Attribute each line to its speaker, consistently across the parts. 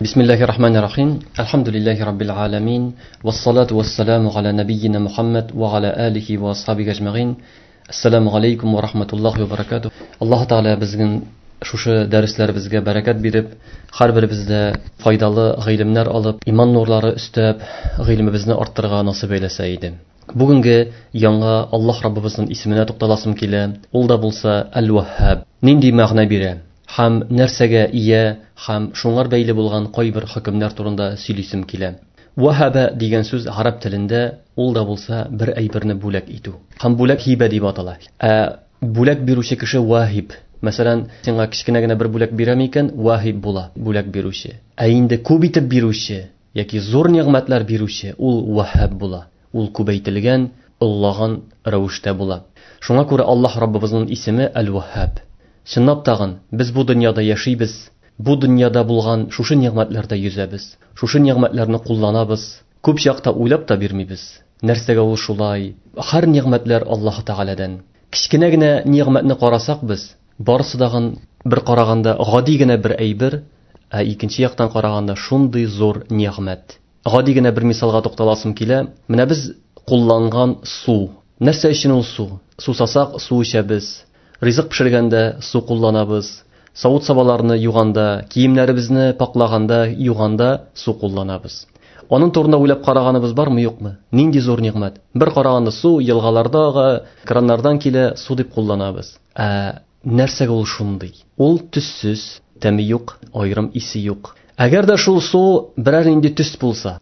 Speaker 1: Бисмиллахи рахмани рахим. Альхамдулиллахи раббил аламин. Вассалату вассаламу аля набийина Мухаммад ва аля алихи ва асхабихи ажмаин. Ассаламу алейкум ва рахматуллахи ва баракатух. Аллаһ Тәгалә безнең шушы дәресләребезгә бәрәкәт биреп, һәрберебездә файдалы гыйлемнәр алып, иман нурлары өстәп, гыйлемебезне арттырырга насыйп әйләсә иде. Бүгенге яңа Аллаһ Раббыбызның исеменә тукталасым килә. Ул да булса Әл-Ваһһаб. Нинди мәгънә бирә? Һәм нәрсәгә ия, һәм шуңар бәйле булган кайбер хөкемнәр турында сөйлисем килә. Ваһаба дигән сүз араб телендә ул да булса бер әйберне бүләк итү. Һәм бүләк һибә дип атала. Ә бүләк бирүче кеше ваһиб. Мәсәлән, сиңа кечкенә генә бер бүләк бирәм икән, ваһиб була, бүләк бирүче. Ә инде күп итеп бирүче яки зур нигъмәтләр бирүче ул ваһаб була. Ул күбәйтелгән, оллаган рәвештә була. Шуңа күрә Аллаһ Раббыбызның исеме Әл-Ваһһаб. Чынлап тагын, без бу дөньяда яшибез, бу дөньяда булган шушы нигъмәтләрдә йөзәбез, шушы нигъмәтләрне кулланабыз. Күп чакта уйлап та бирмибез. Нәрсәгә ул шулай? Һәр нигъмәтләр Аллаһ Тәгаләдән. Кечкенә генә нигъмәтне карасак без, барысы дагын бер караганда гади генә бер әйбер, ә икенче яктан караганда шундый зур нигъмәт. Гади генә бер мисалга тукталасым килә. Менә без кулланган су. Нәрсә өчен ул су? Сусасак, су эчәбез. Ризык пешергәндә су кулланабыз. Савыт-сабаларны юганда, киемнәребезне паклаганда, юганда су кулланабыз. Аның турында уйлап караганыбыз бармы, юкмы? Нинди зур нигъмәт. Бер караганда су елгаларда ага, краннардан килә, су дип кулланабыз. Ә нәрсәгә ул шундый? Ул төссез, тәме юк, аерым исе юк. Әгәр дә шул су берәр нинди төс булса,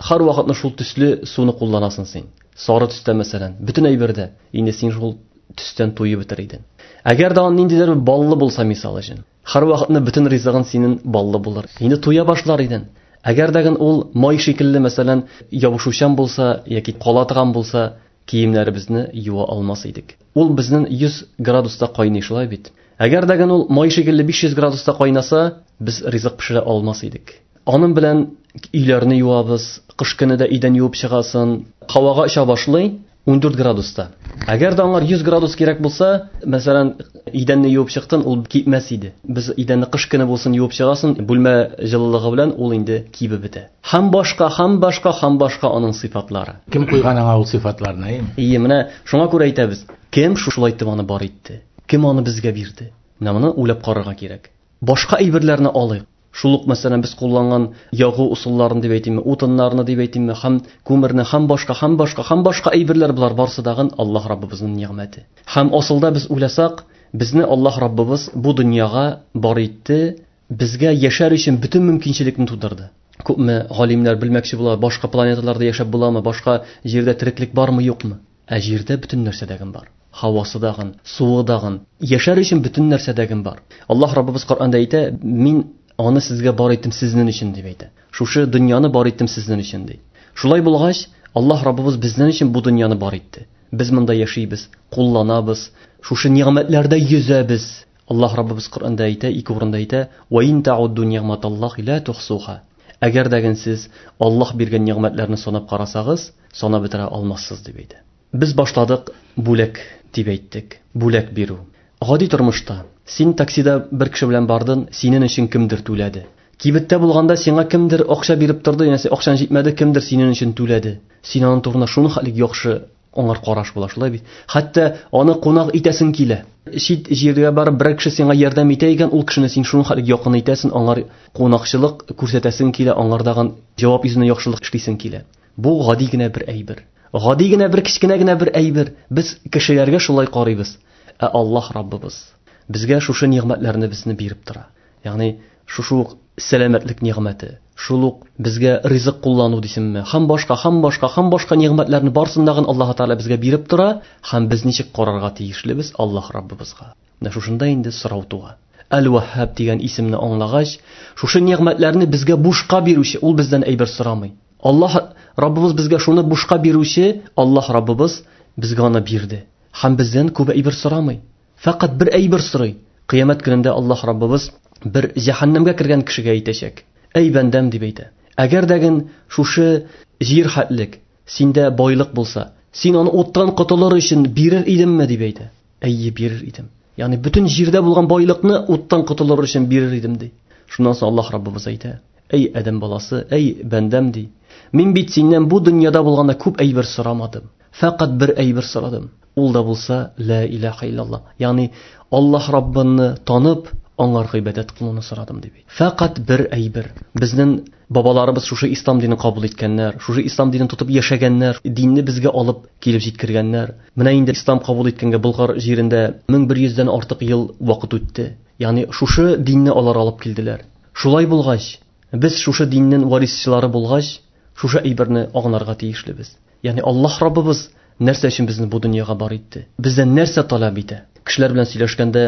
Speaker 1: һәр вакытны шул төсле суны кулланасың син. Сары төстә мәсәлән, бөтен әйбердә инде син шул төстән туеп бетер идең. Әгәр дә ан ниндидер баллы булса мисал өчен, һәр вакытны бөтен ризыгың синең баллы булыр. Инде туя башлар идең. Әгәр дә ул май шикелле мәсәлән ябышучан булса яки кала торган булса, киемнәребезне юа алмас идек. Ул безнең 100 градуста кайный шулай бит. Әгәр дә ул май шикелле 500 градуста кайнаса, без ризык пешерә алмас идек. Аның белән өйләрне юабыз, кыш көне дә өйдән юып чыгасың. Һавага оча башлый 14 градуста. Әгәр дә аңар 100 градус кирәк булса, мәсәлән, идәнне юып чыктың, ул кипмәс иде. Без идәнне кыш көне булсын юып чыгасың, бүлмә җылылыгы белән ул инде кибеп бетә. Һәм башка, һәм башка, һәм башка аның сыйфатлары.
Speaker 2: Кем куйган аңа ул сыйфатларны, әйеме?
Speaker 1: Ие, менә шуңа күрә әйтәбез, кем шушылай итеп аны бар итте? Кем аны безгә бирде? Менә моны уйлап карарга кирәк. Башка әйберләрне алыйк. Шул ук, мәсәлән, без кулланган ягу усулларын дип әйтимме, утыннарны дип әйтимме, һәм күмерне, һәм башка, һәм башка, һәм башка әйберләр болар барысы дагын Аллаһ Раббыбызның нигъмәте. Һәм асылда без уйласак, безне Аллаһ Раббыбыз бу дөньяга бар итте, безгә яшәр өчен бөтен мөмкинчелекне тудырды. Күпме галимнәр белмәкче була, башка планеталарда яшәп буламы, башка җирдә тереклек бармы, юкмы? Ә җирдә бөтен нәрсә дәген бар. Һавасы дагын, суы дагын, яшәр өчен бөтен нәрсә дәген бар. Аллаһ Раббыбыз Коръәндә әйтә, мин аны сезгә бар иттем сезнең өчен дип әйтә. Шушы дөньяны бар иттем сезнең өчен ди. Шулай булгач, Аллаһ Раббыбыз безнең өчен бу дөньяны бар итте. Без монда яшибез, кулланабыз, шушы нигъмәтләрдә йөзәбез. Аллаһ Раббыбыз Коръәндә әйтә, ике урында әйтә: "Ва ин таудду нигъматаллахи ла тухсуха". Әгәр дә сез Аллаһ биргән нигъмәтләрне санап карасагыз, санап бетерә алмассыз дип әйтә. Без башладык бүләк дип әйттек. Бүләк бирү. Гади тормышта син таксида бер кеше белән бардың, синең өчен кемдер түләде. Кибеттә булганда сиңа кемдер акча биреп торды, янәсе акчаң җитмәде, кемдер синең өчен түләде. Син аның турында шуны хәтлек яхшы аңар караш була, шулай бит. Хәтта аны кунак итәсең килә. Чит җиргә барып берәр кеше сиңа ярдәм итә икән, ул кешене син шуны хәтлек якын итәсең, аңар кунакчылык күрсәтәсең килә, аңардаган җавап йөзенә яхшылык эшлисең килә. Бу гади генә бер әйбер. Гади генә бер кечкенә генә бер әйбер. Без кешеләргә шулай карыйбыз. Ә Аллаһ Раббыбыз безгә шушы нигъмәтләрне безне биреп тора. Ягъни шушы ук сәламәтлек нигъмәте, шул ук безгә ризык куллану дисеңме, һәм башка, һәм башка, һәм башка нигъмәтләрне барысын дагын Аллаһ Тәгалә безгә биреп тора, һәм без ничек карарга тиешлебез Аллаһ Раббыбызга. Менә шушында инде сорау туа. Әл-Ваһһаб дигән исемне аңлагач, шушы нигъмәтләрне безгә бушка бирүче, ул бездән әйбер сорамый. Аллаһ Раббыбыз безгә шуны бушка бирүче, Аллаһ Раббыбыз безгә аны бирде. Һәм бездән күп әйбер сорамый. Фәкать бер әйбер сорый. Кыямәт көнендә Аллаһ Раббыбыз бер җәһәннәмгә кергән кешегә әйтәчәк. Әй бәндәм дип әйтә. Әгәр дәген шушы җир хәтлек синдә байлык булса, син аны уттан котылыр өчен бирер идемме дип әйтә. Әйе, бирер идем. Ягъни бөтен җирдә булган байлыкны уттан котылыр өчен бирер идем ди. Шуннан соң Аллаһ Раббыбыз әйтә: Әй адәм баласы, әй бәндәм ди. Мин бит синнән бу дөньяда булганда күп әйбер сорамадым. Фәкать бер әйбер сорадым. Ул да булса ла илаһа иллаллаһ. Ягъни Аллаһ Раббыны танып, аңар гыйбадәт кылуны сорадым дип. Фәкать бер әйбер. Безнең бабаларыбыз шушы ислам динен кабул иткәннәр, шушы ислам динен тотып яшәгәннәр, динне безгә алып килеп җиткергәннәр. Менә инде ислам кабул иткәнгә Болгар җирендә 1100дән артык ел вакыт үтте. Ягъни шушы динне алар алып килделәр. Шулай булгач, без шушы диннең варисчылары булгач, шушы әйберне аңларга тиешлебез. Ягъни Аллаһ Раббыбыз нәрсә өчен безне бу дөньяга бар итте? Бездән нәрсә таләп итә? Кешеләр белән сөйләшкәндә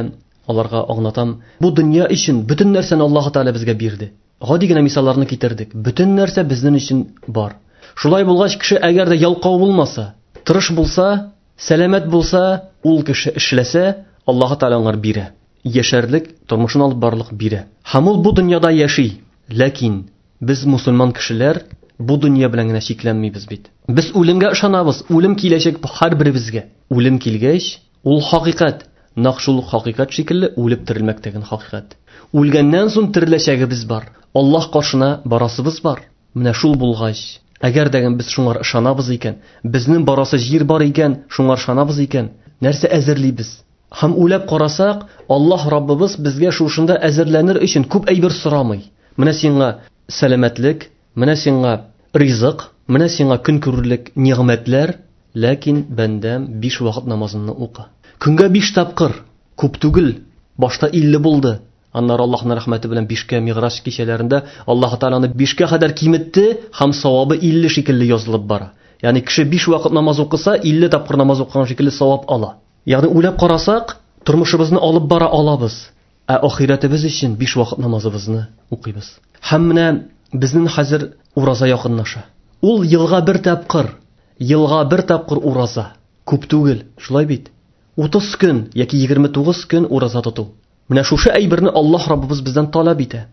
Speaker 1: аларга аңлатам, бу дөнья өчен бөтен нәрсәне Аллаһ Тәгалә безгә бирде. Гади генә мисалларны китердек. Бөтен нәрсә безнең өчен бар. Шулай булгач, кеше әгәр дә ялкау булмаса, тырыш булса, сәламәт булса, ул кеше эшләсә, Аллаһ Тәгалә аңар бирә. Яшәрлек, тормышын алып барлык бирә. Һәм ул бу дөньяда яши. Ләкин без мусульман кешеләр бу дөнья белән генә чикләнмибез бит. Без үлемгә ышанабыз, үлем киләчәк һәрберебезгә. Үлем килгәч, ул хакыйкать, нәкъ шул хакыйкать шикелле үлеп терелмәк дигән хакыйкать. Үлгәннән соң тереләчәгебез бар. Аллаһ каршына барасыбыз бар. Менә шул булгач, әгәр дә без шуңар ышанабыз икән, безнең барасы җир бар икән, шуңар ышанабыз икән, нәрсә әзерлибез? Һәм уйлап карасак, Аллаһ Раббыбыз безгә шушында әзерләнер өчен күп әйбер сорамый. Менә сиңа сәламәтлек, менә сиңа ризык, менә сиңа көн күрерлек нигъмәтләр, ләкин бәндәм 5 вакыт намазыңны укы. Көнгә 5 тапкыр, күп түгел, башта 50 булды. Аннары Аллаһның рәхмәте белән 5кә Миграҗ кичәләрендә Аллаһ Тәгалә аны 5кә кадәр киметте һәм савабы 50 шикелле язылып бара. Ягъни кеше 5 вакыт намаз укыса, 50 тапкыр намаз укыган шикелле савап ала. Ягъни уйлап карасак, тормышыбызны алып бара алабыз. Ә ахирәтебез өчен 5 вакыт намазыбызны укыйбыз. Һәм менә безнең хәзер ураза якынлаша. Ул елга бер тапкыр, елга бер тапкыр ураза. Күп түгел, шулай бит? 30 көн яки 29 көн ураза тоту. Менә шушы әйберне Аллаһ Раббыбыз бездән таләп итә.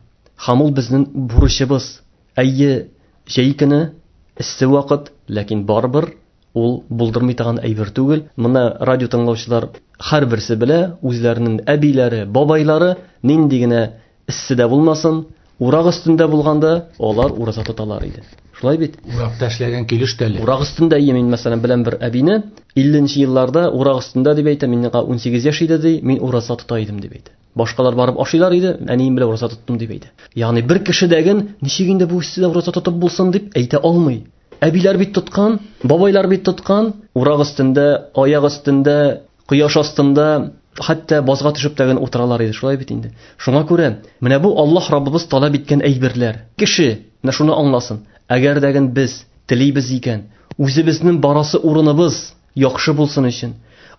Speaker 1: Һәм ул безнең бурычыбыз. Әйе, җәй көне эссе вакыт, ләкин барыбер ул булдырмый торган әйбер түгел. Моны радио тыңлаучылар һәрберсе белә, үзләренең әбиләре, бабайлары нинди генә эсседә булмасын, урак өстендә булганда алар ураза тоталар иде. Шулай бит?
Speaker 2: Уракта эшләгән килеш тә әле.
Speaker 1: Урак өстендә, мин мәсәлән беләм бер әбине, 50 елларда урак өстендә дип әйтә, миңа 18 яшь иде ди, мин ураза тота идем дип әйтә. Башкалар барып ашыйлар иде, әнием белән ураза тоттым дип әйтә. Ягъни бер кеше дәген ничек инде бу эсседә ураза тотып булсын дип әйтә алмый. Әбиләр бит тоткан, бабайлар бит тоткан, урак өстендә, аяк өстендә, кояш астында, хәтта базга төшеп тәген утыралар иде, шулай бит инде. Шуңа күрә менә бу Аллаһ Раббыбыз таләп иткән әйберләр. Кеше менә шуны аңласын. Әгәр дәген без телибез икән, үзебезнең барасы урыныбыз яхшы булсын өчен,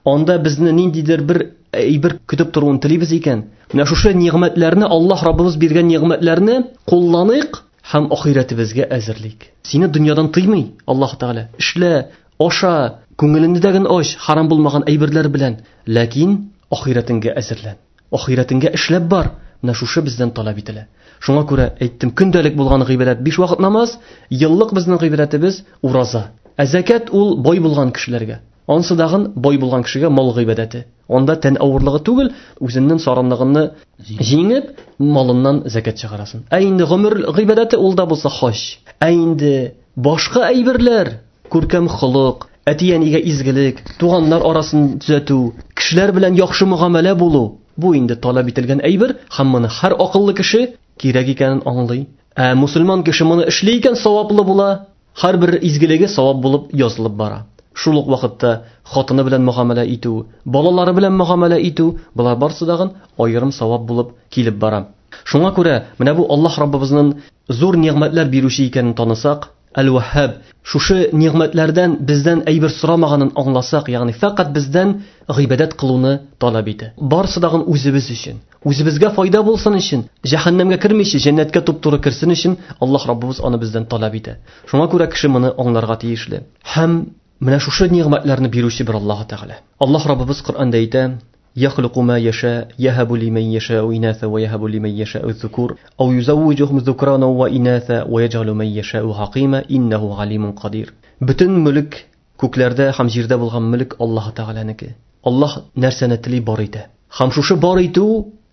Speaker 1: анда безне ниндидер бер әйбер көтеп торуын телибез икән, менә шушы нигъмәтләрне, Аллаһ Раббыбыз биргән нигъмәтләрне кулланыйк һәм ахирәтебезгә әзерлик. Сине дөньядан тыймый Аллаһ Тәгалә. Эшлә, аша, күңелеңне дә генә ач, харам булмаган әйберләр белән, ләкин ахирәтеңгә әзерлән. Ахирәтеңгә эшләп бар. Менә шушы бездән таләп ителә. Шуңа күрә әйттем, көндәлек булган гыйбадәт 5 вакыт намаз, еллык безнең гыйбадәтебез ураза. Ә зәкят ул бай булган кешеләргә. Ансы дагын бай булган кешегә мал гыйбадәте. Анда тән авырлыгы түгел, үзеннән саранлыгын җиңеп, малыннан зәкят чыгарасын. Ә инде гомер гыйбадәте ул да булса хаҗ. Ә инде башка әйберләр, күркәм холык, әти-әнигә изгелек, туганнар арасын төзәтү, кешеләр белән яхшы мөгамәлә булу, бу инде таләп ителгән әйбер, һәм моны һәр акыллы кеше кирәк икәнен аңлый. Ә мусульман кеше моны эшли икән, саваплы була, һәрбер изгелеге савап булып язылып бара. Шул ук вакытта хатыны белән мөгамәлә итү, балалары белән мөгамәлә итү, болар барысы дагын аерым савап булып килеп бара. Шуңа күрә менә бу Аллаһ Раббыбызның зур нигъмәтләр бирүче икәнен танысак, Әл-Ваһһаб, шушы нигъмәтләрдән бездән әйбер сорамаганын аңласак, ягъни фәкать бездән гыйбадәт кылуны таләп итә. Барысы дагын үзебез өчен, үзебезгә файда булсын өчен, җәһәннәмгә кермичә җәннәткә туп-туры керсен өчен Аллаһ Раббыбыз аны бездән таләп итә. Шуңа күрә кеше моны аңларга тиешле. Һәм менә шушы нигъмәтләрне бирүче бер Аллаһ Тәгалә. Аллаһ Раббыбыз Коръәндә әйтә: يخلق ما يشاء يهب لمن يشاء إناثا ويهب لمن يشاء الذكور أو يزوجهم ذكرانا وإناثا ويجعل من يشاء عقيما إنه عليم قدير. Бөтен мөлек күкләрдә һәм җирдә булган мөлек Аллаһ Тәгаләнеке. Аллаһ нәрсәне тели бар итә. Һәм шушы бар итү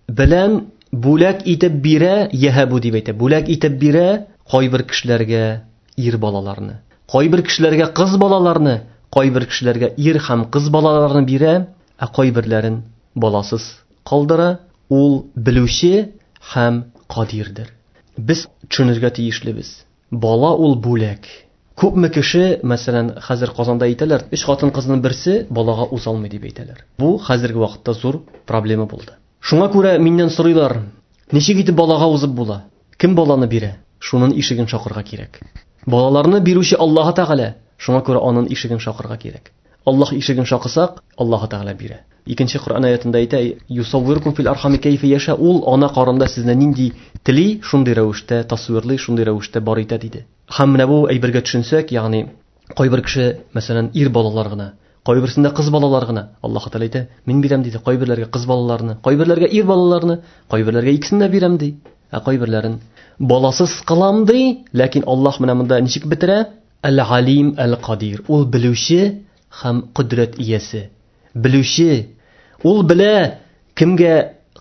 Speaker 1: белән бүләк итеп бирә, яһабу дип әйтә. Бүләк итеп бирә кайбер кешеләргә ир балаларны, кайбер кешеләргә кыз балаларны, кайбер кешеләргә ир һәм кыз балаларны бирә, ә кайберләрен баласыз калдыра. Ул белүче һәм кадирдер. Без төшенергә тиешлебез. Бала ул бүләк. Күпме кеше, мәсәлән, хәзер Казанда әйтәләр, 3 хатын-кызның берсе балага уза алмый дип әйтәләр. Бу хәзерге вакытта зур проблема булды. Шуңа күрә миннән сорыйлар, ничек итеп балага узып була? Кем баланы бирә? Шунын ишеген шакырга кирәк. Балаларны бирүче Аллаһ Тәгалә, шуңа күрә анын ишеген шакырга кирәк. Аллаһ ишеген шакысак, Аллаһ Тәгалә бирә. Икенче Коръән аятында әйтә, Юсаввиркум фил архами кәйфә яша, ул ана карында сезне нинди тели, шундый рәвештә тасвирлый, шундый рәвештә бар итә диде. Һәм менә бу әйбергә төшенсәк, ягъни кайбер кеше, мәсәлән, ир балалар гына, кайберсендә кыз балалар гына. Аллаһ Тәгалә әйтә, мин бирәм диде кайберләргә кыз балаларны, кайберләргә ир балаларны, кайберләргә икесен дә бирәм ди. Ә кайберләрен баласыз кылам ди, ләкин Аллаһ менә монда ничек бетерә? Әл-Алим әл-Кадир. Ул белүче һәм кодрәт иясе. Белүче. Ул белә, кемгә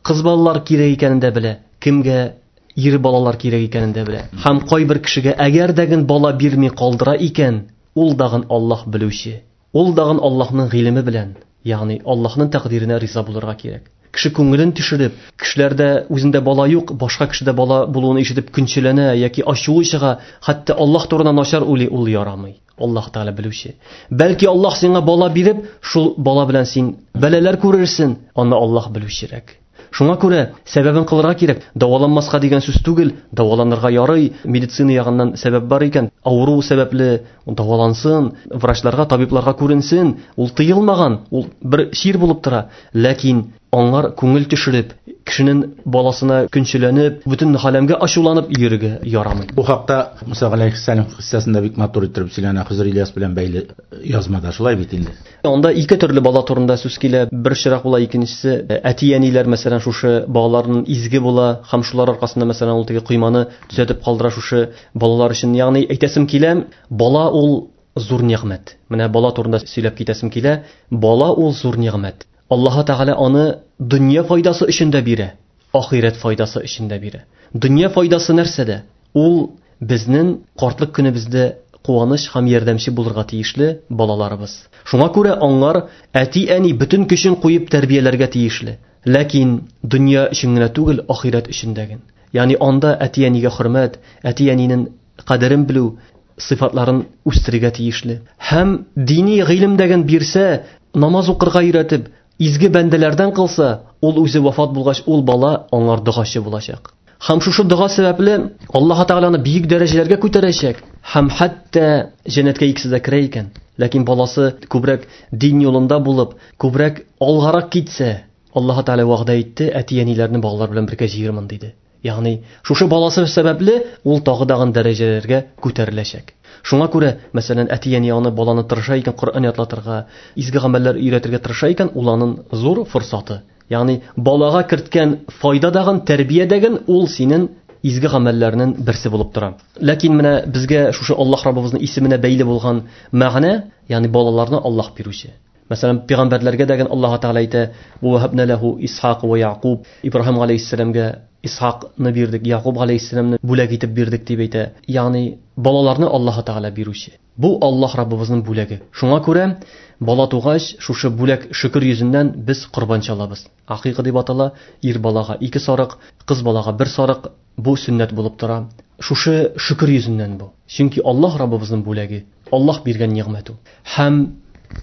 Speaker 1: кыз балалар кирәк икәнен дә белә, кемгә ир балалар кирәк икәнен дә белә. Һәм кайбер кешегә әгәр дә бала бирми калдыра икән, ул дагын Аллаһ белүче. Ул дагын Аллаһның гыйлеме белән, ягъни Аллаһның тәкъдиренә риза булырга кирәк. Кеше күңелен төшереп, кешеләрдә үзендә бала юк, башка кешедә бала булуын ишетеп көнчеләнә яки ачуы чыга, хәтта Аллаһ турында начар уйлый, ул ярамый. Аллаһ Тәгалә белүче. Бәлки Аллаһ сиңа бала биреп, шул бала белән син бәлаләр күрерсең, аны Аллаһ белүчерәк. Шуңа күрә сәбәбен кылырга кирәк. Дәваланмаска дигән сүз түгел, дәваланырга ярый, медицина ягыннан сәбәп бар икән, авыру сәбәпле дәвалансын, врачларга, табибларга күренсен, ул тыелмаган, ул бер чир булып тора. Ләкин аңар күңел төшереп, кешенең баласына көнчеләнеп, бөтен галәмгә ачуланып йөрергә ярамый.
Speaker 2: Бу хакта Муса галәйһиссәлам кыссасында бик матур итеп сөйләнә, Хызыр Ильяс белән бәйле язмада, шулай бит инде.
Speaker 1: Анда ике төрле бала турында сүз килә. Бер чирак була, икенчесе әти-әниләр, мәсәлән, шушы балаларның изге була һәм шулар аркасында, мәсәлән, ул теге койманы төзәтеп калдыра шушы балалар өчен. Ягъни әйтәсем килә, бала ул зур нигъмәт. Менә бала турында сөйләп китәсем килә. Бала ул зур нигъмәт. Аллаһ Тәгалә аны дөнья файдасы өчен дә бирә, ахирәт файдасы өчен дә бирә. Дөнья файдасы нәрсәдә? Ул безнең картлык көнебездә куаныч һәм ярдәмче булырга тиешле балаларыбыз. Шуңа күрә аңлар әти-әни бөтен көчен куеп тәрбияләргә тиешле. Ләкин дөнья өчен генә түгел, ахирәт өчен дә. Ягъни анда әти-әнигә хөрмәт, әти-әнинең кадерен белү, сыйфатларын үстерергә тиешле. Һәм дини гыйлем дәген бирсә, намаз укырга өйрәтеп, изге бәндәләрдән кылса, ул үзе вафат булгач, ул бала аңар догачы булачак. Һәм шушы дога сәбәпле Аллаһ Тәгаләне бөек дәрәҗәләргә күтәрәчәк һәм хәтта җәннәткә икесе дә керә икән. Ләкин баласы күбрәк дин юлында булып, күбрәк алгарак китсә, Аллаһ Тәгалә вәгъдә итте, әти-әниләрне балалар белән бергә җыермын диде. Ягъни шушы баласы сәбәпле ул тагы дагын дәрәҗәләргә күтәреләчәк. Шуңа күрә, мәсәлән, әти-әни аны баланы тырыша икән Коръән ятлатырга, изге гамәлләр өйрәтергә тырыша икән, ул аның зур форсаты. Ягъни балага керткән файда дагын, тәрбия дәген ул синең изге гамәлләрнең берсе булып тора. Ләкин менә безгә шушы Аллаһ Раббыбызның исеменә бәйле булган мәгънә, ягъни балаларны Аллаһ бирүче. Мәсәлән, пәйгамбәрләргә дәген Аллаһ Тәгалә әйтә: "Ва ваһабна лаху Исхак ва Яъкуб". Ибраһим галәйһиссәламгә Исхакны бирдек, Яъкуб галәйһиссәламны бүләк итеп бирдек дип әйтә. Ягъни балаларны Аллаһ Тәгалә бирүче. Бу Аллаһ Раббыбызның бүләге. Шуңа күрә бала тугач, шушы бүләк шөкер йөзеннән без корбан чалабыз. Акыйка дип атала, ир балага 2 сарык, кыз балага 1 сарык, бу сөннәт булып тора. Шушы шөкер йөзеннән бу. Чөнки Аллаһ Раббыбызның бүләге, Аллаһ биргән нигъмәт ул. Һәм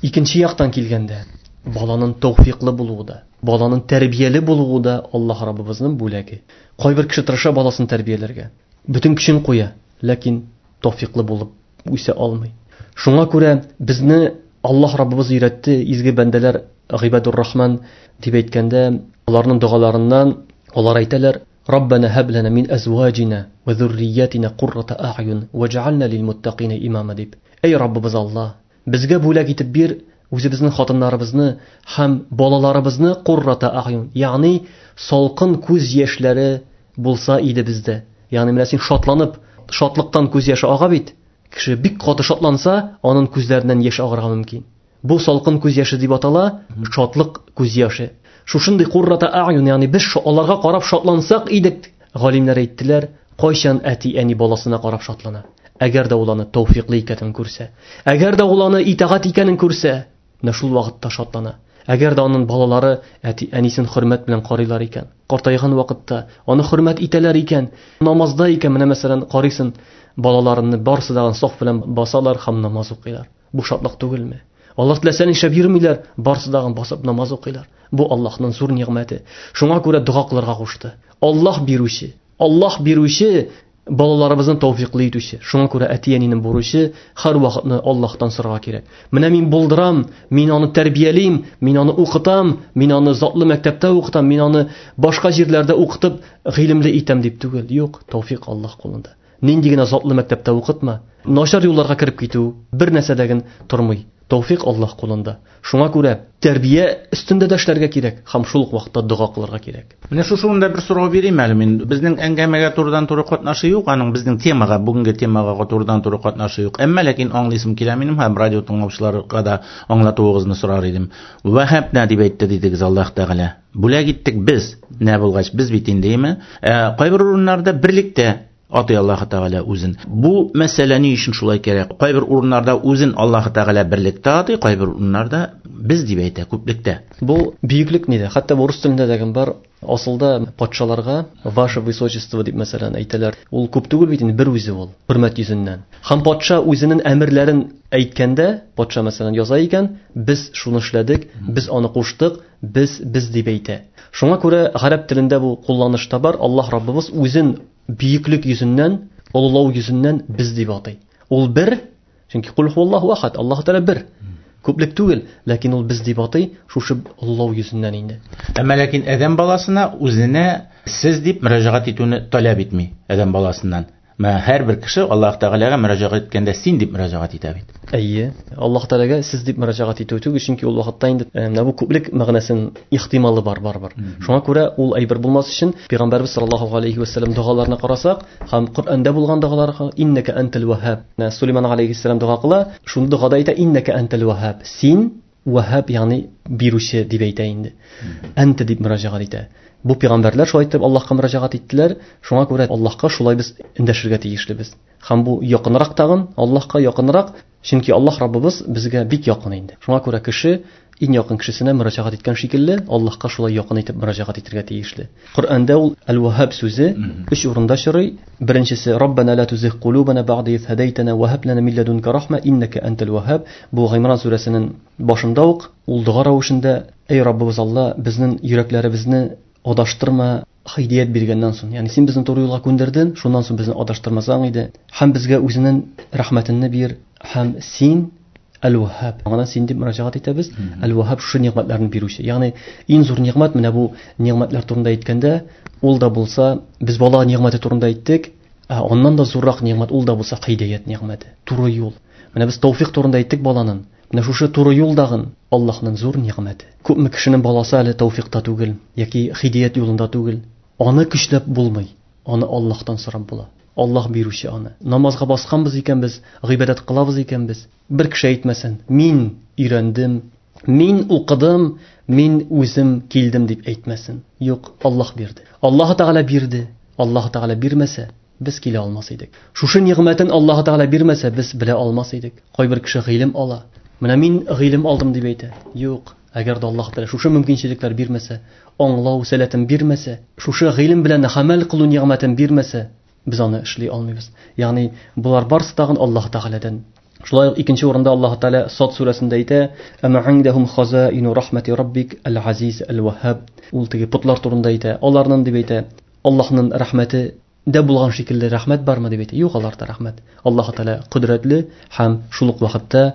Speaker 1: икенче яктан килгәндә, баланың тәүфиклы булуы да, баланың тәрбияле булуы да Аллаһ Раббыбызның бүләге. Кайбер кеше тырыша баласын тәрбияләргә, бөтен көчен куя, ләкин тәүфиклы булып үсә алмый. Шуңа күрә безне Аллаһ Раббыбыз өйрәтте, изге бәндәләр Гыйбадур Рахман дип әйткәндә, аларның догаларыннан алар әйтәләр: Раббана һаб лана мин әзваҗина ва зурриятина куррата а'юн ваҗ'ална лил муттакина имама дип. Эй Раббыбыз Аллаһ, безгә бүләк итеп бир үзебезнең хатыннарыбызны һәм балаларыбызны куррата а'юн, ягъни салкын күз яшьләре булса иде бездә. Ягъни менә син шатланып, шатлыктан күз яше ага бит. Кеше бик каты шатланса, аның күзләреннән яшь агарга мөмкин. Бу салкын күз яше дип атала, шатлык күз яше. Шушындый куррата a'yun, ягъни без аларга карап шатлансак идек, галимнәр әйттеләр, кайчан әти-әни баласына карап шатлана? Әгәр дә ул аны тәүфиклы икәнен күрсә, әгәр дә ул аны итагать икәнен күрсә, менә шул вакытта шатлана. Әгәр дә аның балалары әти-әнисен хөрмәт белән карыйлар икән, картайган вакытта аны хөрмәт итәләр икән, намазда икән, менә мәсәлән, карыйсын, балаларны барысы да саф белән басалар һәм намаз укыйлар. Бу шатлык түгелме? Алар теләсә нишләп йөрмиләр, барысы да басып намаз укыйлар. Бу Аллаһның зур нигъмәте. Шуңа күрә дога кылырга кушты. Аллаһ бирүче, Аллаһ бирүче, балаларыбызны тәүфиклы итүче. Шуңа күрә әти-әнинең бурычы һәр вакытны Аллаһтан сорарга кирәк. Менә мин булдырам, мин аны тәрбиялим, мин аны укытам, мин аны затлы мәктәптә укытам, мин аны башка җирләрдә укытып гыйлемле итәм дип түгел. Юк, тәүфик Аллаһ кулында. Нинди генә затлы мәктәптә укытма, начар юлларга кереп китү бер нәрсәдәген тормый. Тәүфик Аллаһ кулында. Шуңа күрә тәрбия өстендә дә эшләргә кирәк һәм шул ук вакытта дога кылырга кирәк.
Speaker 2: Менә шушы урында бер сорау бирим әле мин. Безнең әңгәмәгә турыдан-туры катнашы юк, аның безнең темага, бүгенге темага турыдан-туры катнашы юк. Әмма ләкин аңлыйсым килә минем һәм радио тыңлаучыларга да аңлатуыгызны сорар идем. Вәһәбнә дип әйтте дидегез Аллаһ Тәгалә. Бүләк иттек без. Нә булгач, без бит инде, име? Кайбер урыннарда берлектә атый Аллаһ Тәгалә үзен. Бу мәсьәлә ни өчен шулай кирәк? Кайбер урыннарда үзен Аллаһ Тәгалә берлектә атый, кайбер урыннарда без дип әйтә, күплектә.
Speaker 1: Бу бөеклек нидә? Хәтта бу рус телендә дә бар. Асылда патшаларга ваше высочество дип мәсәлән әйтәләр. Ул күп түгел бит инде, бер үзе ул, хөрмәт йөзеннән. Һәм патша үзенең әмерләрен әйткәндә, патша мәсәлән яза икән, без шуны эшләдек, без аны куштык, без, без дип әйтә. Шуңа күрә гарәп телендә бу кулланышта бар. Аллаһ Раббыбыз үзен бөеклек йөзеннән, олылау йөзеннән без дип атый. Ул бер, чөнки кул хуаллаһу ахад, Аллаһ Тәгалә бер. Күплек түгел, ләкин ул без дип атый, шушы олылау йөзеннән инде.
Speaker 2: Әмма ләкин адәм баласына үзенә сез дип мөрәҗәгать итүне таләп итми адәм баласыннан. Мә һәрбер кеше Аллаһ Тәгаләгә мөрәҗәгать иткәндә син дип мөрәҗәгать итә бит.
Speaker 1: Әйе, Аллаһ Тәгаләгә сез дип мөрәҗәгать итү түгел, чөнки ул вакытта инде менә бу күплек мәгънәсен ихтималы бар барыбер. Шуңа күрә ул әйбер булмас өчен Пәйгамбәрбез саллаллаһу алейхи ва саллям догаларына карасак һәм Коръәндә булган догаларга иннәкә антал ваһһаб. Менә Сулейман алейхиссалам дога кыла, шуны догада әйтә иннәкә антал ваһһаб. Син ваһһаб, ягъни бирүче дип әйтә инде. Анта дип мөрәҗәгать итә. Бу пәйгамбәрләр шулай итеп Аллаһка мөрәҗәгать иттеләр. Шуңа күрә Аллаһка шулай без эндәшергә тиешлебез. Һәм бу якынрак тагын, Аллаһка якынрак, чөнки Аллаһ Раббыбыз безгә бик якын инде. Шуңа күрә кеше иң якын кешесенә мөрәҗәгать иткән шикелле, Аллаһка шулай якын итеп мөрәҗәгать итәргә тиешле. Коръәндә ул Әл-Ваһһаб сүзе өч урында очрый. Беренчесе Раббана ла тузигъ кулубана бa'да из һадайтана ва һаб лана мин ладунка рахма иннака антал ваһһаб. Бу Гыймран сүрәсенең башында ук ул дога рәвешендә: Эй Раббыбыз Алла, безнең йөрәкләребезне адаштырма һидәят биргәннән соң. Ягъни син безне туры юлга күндердең, шуннан соң безне адаштырмасаң иде. Һәм безгә үзенең рәхмәтеңне бир, һәм син Әл-Ваһһаб. Аңа син дип мөрәҗәгать итәбез. Әл-Ваһһаб шушы нигъмәтләрне бирүче. Ягъни иң зур нигъмәт менә бу нигъмәтләр турында әйткәндә, ул да булса, без бала нигъмәте турында әйттек, ә аннан да зуррак нигъмәт ул да булса һидәят нигъмәте, туры юл. Менә без тәүфик турында әйттек баланың. Менә шушы туры юл дагын Аллаһның зур нигъмәте. Күпме кешенең баласы әле тәүфикта түгел, яки һидәят юлында түгел. Аны көчләп булмый, аны Аллаһтан сорап була. Аллаһ бирүче аны. Намазга басканбыз икән без, гыйбадәт кылабыз икән без. Бер кеше әйтмәсен, мин өйрәндем, мин укыдым, мин үзем килдем дип әйтмәсен. Юк, Аллаһ бирде. Аллаһ Тәгалә бирде. Аллаһ Тәгалә бирмәсә, без килә алмас идек. Шушы нигъмәтен Аллаһ Тәгалә бирмәсә, без белә алмас идек. Кайбер кеше гыйлем ала. Менә мин гыйлем алдым дип әйтә. Юк, әгәр дә Аллаһ Тәгалә шушы мөмкинчелекләр бирмәсә, аңлау сәләтен бирмәсә, шушы гыйлем белән гамәл кылу нигъмәтен бирмәсә, без аны эшли алмыйбыз. Ягъни булар барысы тагын Аллаһ Тәгаләдән. Шулай ук икенче урында Аллаһ Тәгалә Сад сүрәсендә әйтә: "Ама индахум хазаину рахмати раббик аль-азиз аль-ваһһаб". Ул теге потлар турында әйтә. Аларның дип әйтә, Аллаһның рәхмәте дә булган шикелле рәхмәт бармы дип әйтә. Юк, аларда рәхмәт. Аллаһ Тәгалә кодрәтле һәм шул ук вакытта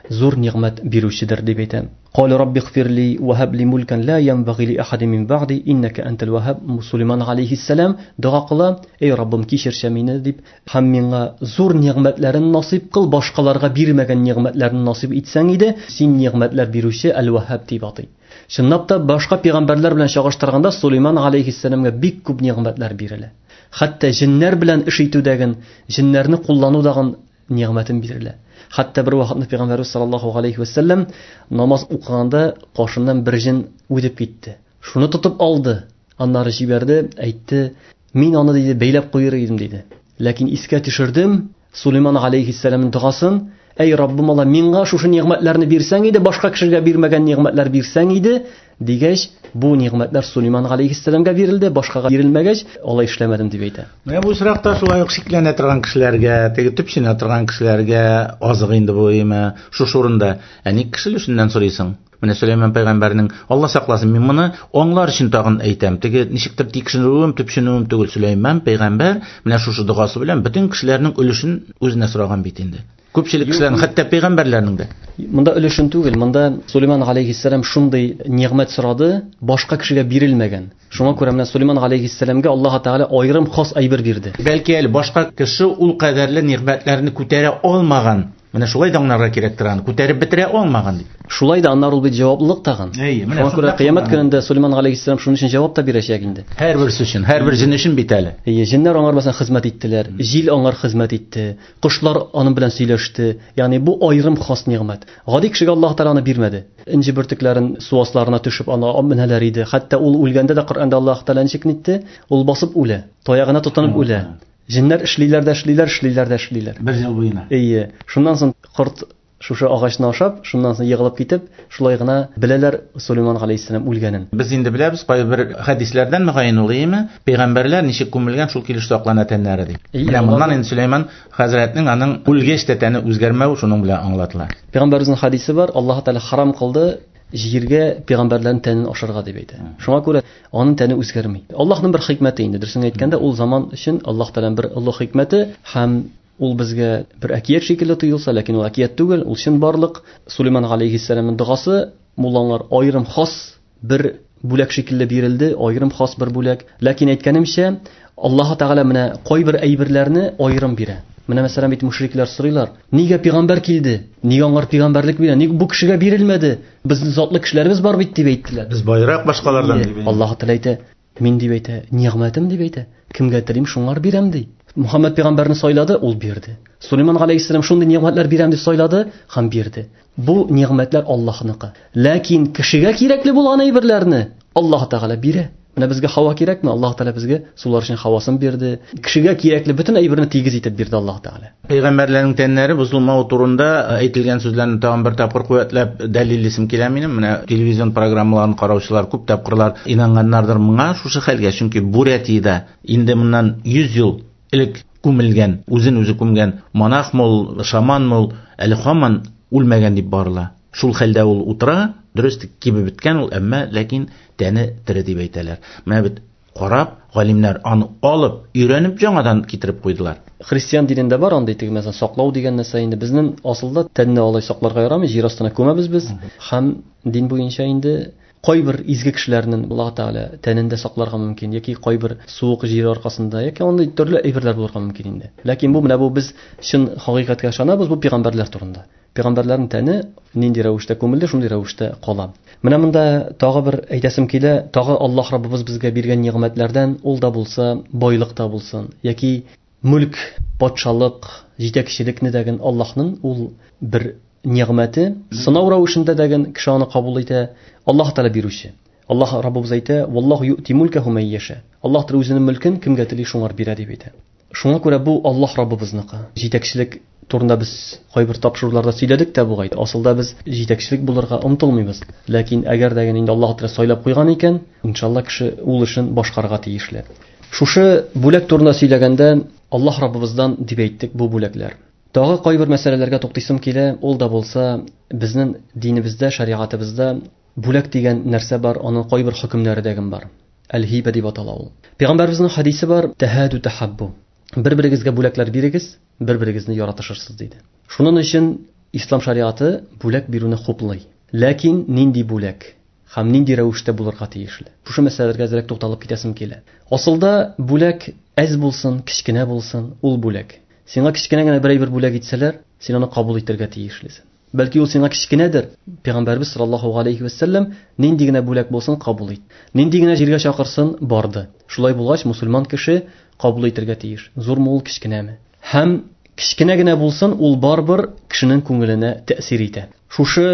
Speaker 1: зур нигъмәт бирүчедер дип әйтә. Кал рабби гфирли ва һаб ли мулкан ла янбагы ли ахадин мин ба'ди иннака антал ваһһаб. Сулейман алейхиссалам дога кыла: Эй Раббым, кичерчә мине дип, һәм миңа зур нигъмәтләрен насыйп кыл, башкаларга бирмәгән нигъмәтләрен насыйп итсәң иде, син нигъмәтләр бирүче Әл-Ваһһаб дип атый. Чынлап та башка пәйгамбәрләр белән чагыштырганда Сулейман алейхиссаламга бик күп нигъмәтләр бирелә. Хәтта җиннәр белән эш итүдәген, җиннәрне кулланудагын нигъмәтен бирелә. Хәтта бер вакытны Пәйгамбәрбез саллаллаһу алейхи ва саллям намаз укыганда кашыннан бер җен үтеп китте. Шуны тотып алды, аннары җибәрде, әйтте: "Мин аны, диде, бәйләп куер идем", диде. Ләкин искә төшердем Сулейман алейхиссәламның догасын: "Әй Раббым Алла, миңа шушы нигъмәтләрне бирсәң иде, башка кешегә бирмәгән нигъмәтләр бирсәң иде", дигәч, бу нигъмәтләр Сулейман алейхиссәламгә бирелде, башкага бирелмәгәч, алай эшләмәдем дип әйтә.
Speaker 2: Менә бу очракта шулай ук шикләнә торган кешеләргә, теге төпченә торган кешеләргә азык инде бу име, шушы урында. Ә ник кеше өлешеннән сорыйсың? Менә Сөләйман пәйгамбәрнең, Алла сакласын, мин моны аңлар өчен тагын әйтәм. Теге ничектер тикшерүем, төпченүем түгел. Сөләйман пәйгамбәр менә шушы догасы белән бөтен кешеләрнең өлешен үзенә сораган бит инде. Күпчелек кешеләрнең, хәтта пәйгамбәрләрнең дә.
Speaker 1: Монда өлешен түгел, монда Сулейман алейхиссәлам шундый нигъмәт сорады, башка кешегә бирелмәгән. Шуңа күрә менә Сулейман алейхиссәламгә Аллаһ Тәгалә аерым хас әйбер бирде.
Speaker 2: Бәлки әле башка кеше ул кадәрле нигъмәтләрне күтәрә алмаган. Менә шулай да аңларга кирәктер аны, күтәреп бетерә алмаган дип.
Speaker 1: Шулай да аннары ул бит җаваплылык тагын.
Speaker 2: Әйе, менә
Speaker 1: Шуңа күрә
Speaker 2: шунда
Speaker 1: кыямәт
Speaker 2: кылган.
Speaker 1: көнендә Сулейман алейхиссәлам шуның өчен җавап та бирәчәк инде.
Speaker 2: Һәрберсе өчен, һәрбер җен өчен бит әле.
Speaker 1: Әйе, җеннәр аңар мәсәлән хезмәт иттеләр, җил аңар хезмәт итте, кошлар аның белән сөйләште. Ягъни бу аерым хас нигъмәт. Гади кешегә Аллаһ Тәгалә аны бирмәде. Энҗе бөртекләрен су асларына төшеп аны менәләр иде. Хәтта ул үлгәндә дә Коръәндә Аллаһ Тәгалә ничек нитте? Ул басып үлә, таягына тотынып үлә. Җеннәр эшлиләр дә эшлиләр, эшлиләр дә эшлиләр.
Speaker 2: Бер ел буена.
Speaker 1: Әйе. Шуннан соң корт шушы агачны ашап, шуннан соң егылып китеп, шулай гына беләләр Сулейман алейхиссәлам үлгәнен.
Speaker 2: Без инде беләбез, кайбер хәдисләрдән мөгаен ул, әйеме? Пәйгамбәрләр ничек күмелгән, шул килеш саклана тәннәре дип.
Speaker 1: Әйе,
Speaker 2: Менә
Speaker 1: алар
Speaker 2: моннан инде Сулейман хәзрәтнең аның үлгәч тә тәне үзгәрмәве шуның белән аңлатыла.
Speaker 1: Пәйгамбәребезнең хәдисе бар, Аллаһ Тәгалә харам кылды җиргә пәйгамбәрләрнең тәнен ашарга дип әйтә. Шуңа күрә аның тәне үзгәрми. Аллаһның бер хикмәте инде, дөресен әйткәндә, ул заман өчен Аллаһ Тәгаләнең бер олы хикмәте һәм ул безгә бер әкият шикелле тоелса, ләкин ул әкият түгел, ул чын барлык. Сулейман алейхиссәламның догасы муллалар аерым хас бер бүләк шикелле бирелде, аерым хас бер бүләк. Ләкин әйткәнемчә, Аллаһ Тәгалә менә кайбер әйберләрне аерым бирә. Менә мәсәлән бит мушриклар сорыйлар: нигә пәйгамбәр килде? Нигә аңар пәйгамбәрлек бирә? Ник бу кешегә бирелмәде? Безнең затлы кешеләребез бар бит дип әйттеләр.
Speaker 2: Без байрак башкалардан
Speaker 1: Ие,
Speaker 2: дип.
Speaker 1: Аллаһ Тәгалә әйтә: мин дип әйтә, нигъмәтем дип әйтә. Кемгә телим, шуңар бирәм ди. Мухаммад пәйгамбәрне сайлады, ул бирде. Сулейман алейхиссәлам шундый нигъмәтләр бирәм дип сайлады һәм бирде. Бу нигъмәтләр Аллаһныкы. Ләкин кешегә кирәкле булган әйберләрне Аллаһ Тәгалә бирә. Менә безгә һава кирәкме? Аллаһ Тәгалә безгә сулар өчен һавасын бирде. Кешегә кирәкле бөтен әйберне тигез итеп бирде Аллаһ Тәгалә.
Speaker 2: Пәйгамбәрләрнең тәннәре бозылмавы турында әйтелгән сүзләрне тагын бер тапкыр куәтләп дәлиллисем килә минем. Менә телевизион программаларын караучылар күп тапкырлар инанганнардыр моңа шушы хәлгә, чөнки Бурятиядә инде моннан 100 ел элек күмелгән, үзен үзе күмгән монах мул, шаман мул, әле һаман үлмәгән дип барыла. Шул хәлдә ул утыра, дөрес кибеп беткән ул, әмма ләкин тәне тере дип әйтәләр. Менә бит карап, галимнәр аны алып, өйрәнеп яңадан китереп куйдылар.
Speaker 1: Христиан динендә бар андый теге мәсәлән саклау дигән нәрсә инде. Безнең асылда тәнне алай сакларга ярамый, җир астына күмәбез без. Һәм дин буенча инде кайбер изге кешеләрнең Аллаһ Тәгалә тәнен дә сакларга мөмкин, яки кайбер суык җир аркасында, яки андый төрле әйберләр булырга мөмкин инде. Ләкин бу менә бу без чын хакыйкатькә ышанабыз, бу пәйгамбәрләр турында. Пәйгамбәрләрнең тәне нинди рәвештә күмелде, шундый рәвештә кала. Менә монда тагы бер әйтәсем килә, тагы Аллаһ Раббыбыз безгә биргән нигъмәтләрдән, ул да булса, байлык та булсын, яки мүлк, патшалык, җитәкчелекне дәген Аллаһның ул бер нигъмәте, сынау рәвешендә дәген кеше аны кабул итә, Аллаһ Тәгалә бирүче. Аллаһ Раббыбыз әйтә: Валлаһу юъти мулкаху ман яша. Аллаһ Тәгалә үзенең мөлкен кемгә тели шуңар бирә дип әйтә. Шуңа күрә бу Аллаһ Раббыбызныкы. Җитәкчелек турында без кайбер тапшыруларда сөйләдек тә бугай. Асылда без җитәкчелек булырга омтылмыйбыз. Ләкин әгәр дә инде Аллаһ Тәгалә сайлап куйган икән, иншалла кеше ул эшен башкарырга тиешле. Шушы бүләк турында сөйләгәндә Аллаһ Раббыбыздан дип әйттек бу бүләкләр. Тагы кайбер мәсьәләләргә туктыйсым килә, ул да булса безнең динебездә, шәригатыбызда бүләк дигән нәрсә бар, аның кайбер хөкемнәре дә бар. Әл-хибә дип атала ул. Пәйгамбәребезнең хәдисе бар, тәһаду тәхаббу. Бер-берегезгә бүләкләр бирегез, бер-берегезне яратышырсыз диде. Шуның өчен ислам шариаты бүләк бирүне хуплый. Ләкин нинди бүләк һәм нинди рәвештә булырга тиешле? Шушы мәсьәләләргә әзрәк тукталып китәсем килә. Асылда бүләк әз булсын, кечкенә булсын, ул бүләк. Сиңа кечкенә генә бер әйбер бүләк итсәләр, син аны кабул итәргә тиешлесең. Бәлки ул сиңа кечкенәдер. Пәйгамбәрбез саллаллаһу алейхи ва сәлләм нинди генә бүләк булсын кабул ит. Нинди генә җиргә чакырсын барды. Шулай булгач, мусульман кеше кабул итәргә тиеш. Зурмы ул, кечкенәме? Һәм Кечкенә генә булсын, ул барыбер кешенең күңеленә тәэсир итә. Шушы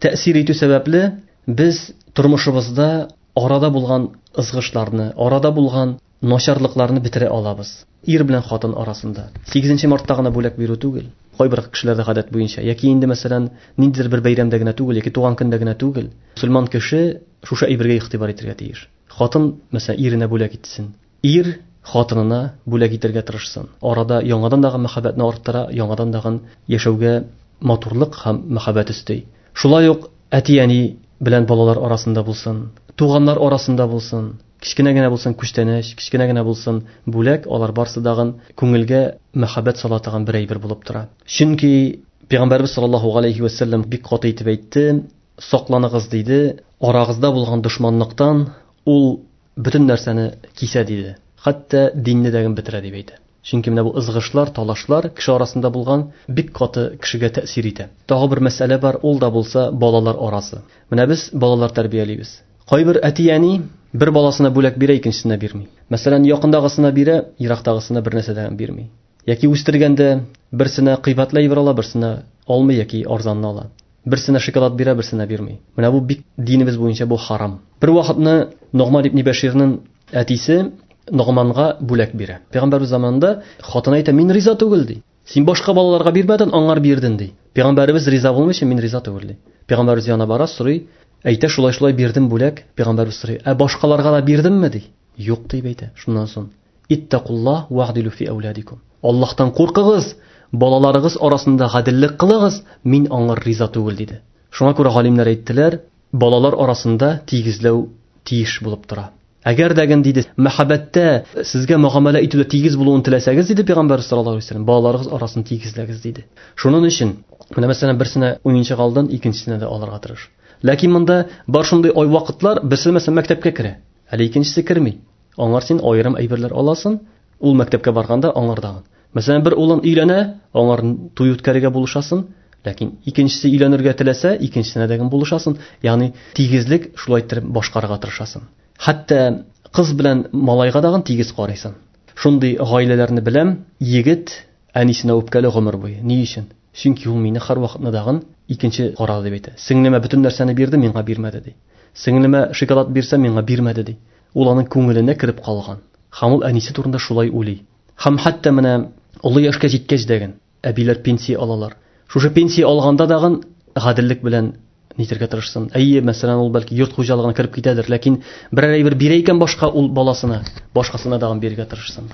Speaker 1: тәэсир итү сәбәпле без тормышыбызда арада булган ызгышларны, арада булган начарлыкларны бетерә алабыз. Ир белән хатын арасында. 8 мартта гына бүләк бирү түгел. Кайбер кешеләрдә гадәт буенча, яки инде мәсәлән, ниндидер бер бәйрәмдә генә түгел, яки туган көндә генә түгел. Мөселман кеше шушы әйбергә игътибар итәргә тиеш. Хатын, мәсәлән, иренә бүләк итсен. Ир хатынына бүләк итәргә тырышсын. Арада яңадан дагы мәхәббәтне арттыра, яңадан дагы яшәүгә матурлык һәм мәхәббәт өсти. Шулай ук әти-әни белән балалар арасында булсын, туганнар арасында булсын, кечкенә генә булсын күчтәнәч, кечкенә генә булсын бүләк, алар барсы дагын күңелгә мәхәббәт сала торган бер әйбер булып тора. Чөнки Пәйгамбәрбез саллаллаһу алейхи ва сәлләм бик каты итеп әйтте, сакланыгыз диде, арагызда булган дошманлыктан ул бөтен нәрсәне кисә диде. Хәтта динне дә бетерә дип әйтә. Чөнки менә бу ызгышлар, талашлар кеше арасында булган бик каты кешегә тәэсир итә. Тагы бер мәсьәлә бар, ул да булса балалар арасы. Менә без балалар тәрбиялибез. Кайбер әти-әни бер баласына бүләк бирә, икенчесенә бирми. Мәсәлән, якындагысына бирә, ерактагысына бер нәрсә дә бирми. Яки үстергәндә берсенә кыйбатлы әйбер ала, берсенә алмый яки арзанны ала. Берсенә шоколад бирә, берсенә бирми. Менә бу бик динебез буенча бу харам. Бер вакытны Ногман ибн Бәширнең әтисе Ногманга бүләк бирә. Пәйгамбәрбез заманында хатын әйтә, мин риза түгел ди. Син башка балаларга бирмәдең, аңар бирдең ди. Пәйгамбәребез риза булмыйча, мин риза түгел ди. Пәйгамбәребез янына бара, сорый, әйтә, шулай-шулай бирдем бүләк. Пәйгамбәребез сорый, ә башкаларга да бирдемме ди. Юк дип әйтә. Шуннан соң иттакуллаһ ва'дилу фи әүладикум. Аллаһтан куркыгыз, балаларыгыз арасында гаделлек кылыгыз, мин аңар риза түгел диде. Шуңа күрә галимнәр әйттеләр, балалар арасында тигезләү тиеш булып тора. Әгәр дә ген диде, мәхәббәттә сезгә мөгамәлә итүдә тигез булуын теләсәгез диде Пәйгамбәр саллаллаһу алейһи ва сәлләм, балаларыгыз арасын тигезләгез диде. Шуның өчен менә мәсәлән берсенә уенчык алдың, икенчесенә дә алырга тырыш. Ләкин монда бар шундый ай вакытлар, берсе мәсәлән мәктәпкә керә, әле икенчесе керми. Аңар син аерым әйберләр аласың, ул мәктәпкә барганда аңардагын. Мәсәлән, бер улын өйләнә, аңар туй үткәрергә булышасың, ләкин икенчесе өйләнергә теләсә, икенчесенә дә булышасың. Ягъни тигезлек шулай итеп башкарырга тырышасың. Хәтта кыз белән малайга дагын тигез карыйсың. Шундый гаиләләрне беләм, егет әнисенә үпкәле гомер буе. Ни өчен? Чөнки ул мине һәрвакытны дагын икенче карады дип әйтә. Сеңлемә бөтен нәрсәне бирде, миңа бирмәде ди. Сеңлемә шоколад бирсә, миңа бирмәде ди. Ул аның күңеленә кереп калган. Һәм ул әнисе турында шулай уйлый. Һәм хәтта менә олы яшькә җиткәч дәген әбиләр пенсия алалар. Шушы пенсия алганда дагын гаделлек белән нитергә тырышсын. Әйе, мәсәлән, ул бәлки йорт хуҗалыгына кереп китәдер, ләкин берәр әйбер бирә икән башка ул баласына, башкасына дагын бирергә тырышсын.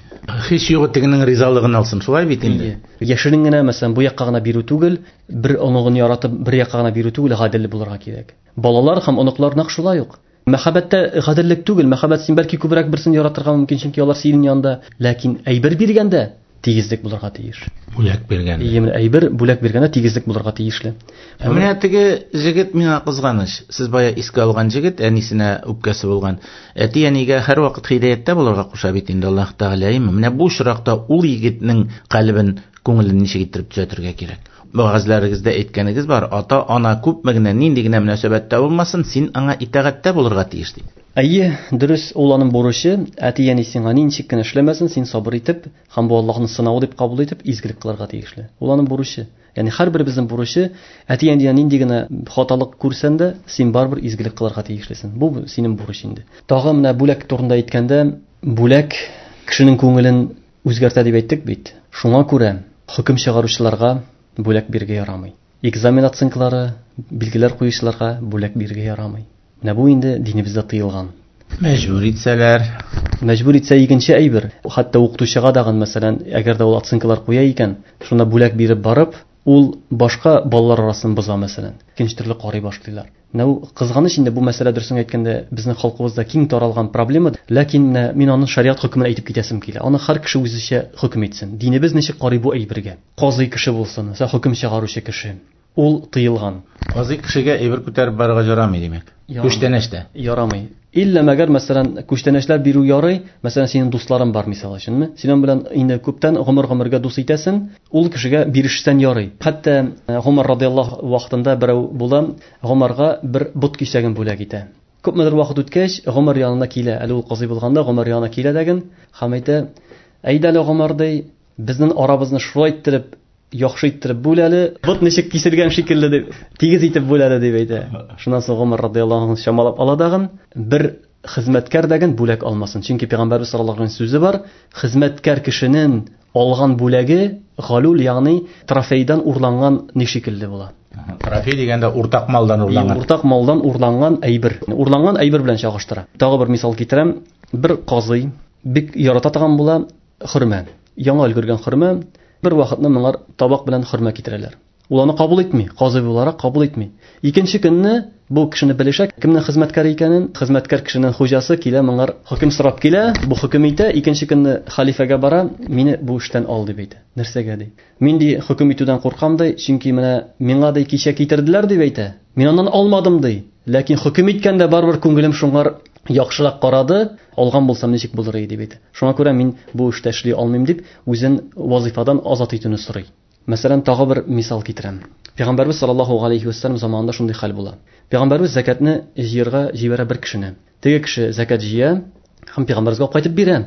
Speaker 2: Һич югы тегенең ризалыгын алсын, шулай бит инде.
Speaker 1: Яшерен генә, мәсәлән, бу якка гына бирү түгел, бер оныгын яратып, бер якка гына бирү түгел, гадел булырга кирәк. Балалар һәм оныклар нәкъ шулай ук. Мәхәббәттә гаделлек түгел, мәхәббәт син бәлки күбрәк берсен яратырга мөмкин, чөнки алар синең янында, ләкин әйбер биргәндә тигезлек булырга тиеш.
Speaker 2: Бүләк биргәндә.
Speaker 1: Әйе, менә әйбер бүләк биргәндә тигезлек булырга тиешле.
Speaker 2: Ә менә теге җегет миңа кызганыч. Сез бая искә алган җегет әнисенә үпкәсе булган. Әти-әнигә һәрвакыт һидаяттә булырга куша бит инде Аллаһ Тәгалә, әйеме? Менә бу очракта ул егетнең калебен, күңелен ничек иттереп төзәтергә кирәк? Вәгазьләрегездә әйткәнегез бар, ата-ана күпме генә, нинди генә мөнәсәбәттә булмасын, син аңа итагатьтә булырга тиеш дип.
Speaker 1: Әйе, дөрес, ул аның бурычы, әти-әни сиңа ничек кенә эшләмәсен, син сабыр итеп, һәм бу Аллаһның сынавы дип кабул итеп, изгелек кылырга тиешле. Ул аның бурычы. Ягъни һәрберебезнең бурычы, әти-әнидән нинди генә хаталык күрсәң дә, син барыбер изгелек кылырга тиешлесең. Бу синең бурыч инде. Тагы менә бүләк турында әйткәндә, бүләк кешенең күңелен үзгәртә дип әйттек бит. Шуңа күрә хөкем чыгаручыларга бүләк бирергә ярамый. Экзамен оценкалары, билгеләр куючыларга бүләк бирергә ярамый. Менә бу инде динебездә тыелган.
Speaker 2: Мәҗбүр итсәләр.
Speaker 1: Мәҗбүр итсә икенче әйбер. Хәтта укытучыга дагын, мәсәлән, әгәр дә ул оценкалар куя икән, шунда бүләк биреп барып, ул башка балалар арасын боза, мәсәлән. Икенче төрле карый башлыйлар. Менә ул кызганыч инде бу мәсьәлә, дөресен әйткәндә, безнең халкыбызда киң таралган проблема, ләкин менә мин аның шариат хөкемен әйтеп китәсем килә. Аны һәр кеше үзенчә хөкем итсен. Динебез ничек карый бу әйбергә? Казый кеше булсын, мәсәлән, хөкем чыгаручы кеше. Ул тыелган.
Speaker 2: Казый кешегә әйбер күтәреп барырга ярамый, димәк. Күчтәнәч тә.
Speaker 1: Ярамый. Иллә мәгәр, мәсәлән, күчтәнәчләр бирү ярый, мәсәлән, синең дусларың бар, мисал өченме? Син аның белән инде күптән гомер-гомергә дус итәсең, ул кешегә бирешсән ярый. Хәтта Гомар радиаллаһу вакытында берәү була, Гомарга бер бот кисәген бүләк итә. Күпмедер вакыт үткәч, Гомар янына килә. Әле ул казый булганда Гомар янына килә дәген һәм әйтә: "Әйдә әле, Гомар, ди, Безнең арабызны шулай иттереп, яхшы иттереп бүл әле, бот ничек киселгән шикелле дип, тигез итеп бүл әле дип әйтә. Шуннан соң Гомар радияллаһу анһу чамалап ала дагын, бер хезмәткәр дәген бүләк алмасын. Чөнки пәйгамбәрбез саллаллаһу алейһи сүзе бар, хезмәткәр кешенең алган бүләге галул, ягъни трофейдан урланган ни шикелле була.
Speaker 2: Трофей дигәндә уртак малдан урланган.
Speaker 1: Уртак малдан урланган әйбер. Урланган әйбер белән чагыштыра. Тагы бер мисал китерәм. Бер казый бик ярата торган була хөрмә. Яңа өлгергән хөрмә. Бер вакытны моңар табак белән хөрмә китерәләр. Ул аны кабул итми, казый буларак кабул итми. Икенче көнне бу кешене белешә, кемнең хезмәткәре икәнен, хезмәткәр кешенең хуҗасы килә, моңар хөкем сорап килә, бу хөкем итә, икенче көнне халифәгә бара, мине бу эштән ал дип әйтә. Нәрсәгә ди? Мин ди хөкем итүдән куркам ди, чөнки менә миңа ди кичә китерделәр дип әйтә. Мин аннан алмадым ди. Ләкин хөкем иткәндә барыбер күңелем шуңар яхшырак карады, алган булсам ничек булыр иде дип әйтә. Шуңа күрә мин бу эштә эшли алмыйм дип, үзен вазифадан азат итүне сорый. Мәсәлән, тагы бер мисал китерәм. Пәйгамбәрбез саллаллаһу алейхи вәссәлам заманында шундый хәл була. Пәйгамбәрбез закатны җыярга җибәрә бер кешене. Теге кеше закат җыя һәм пәйгамбәрбезгә кайтып бирә.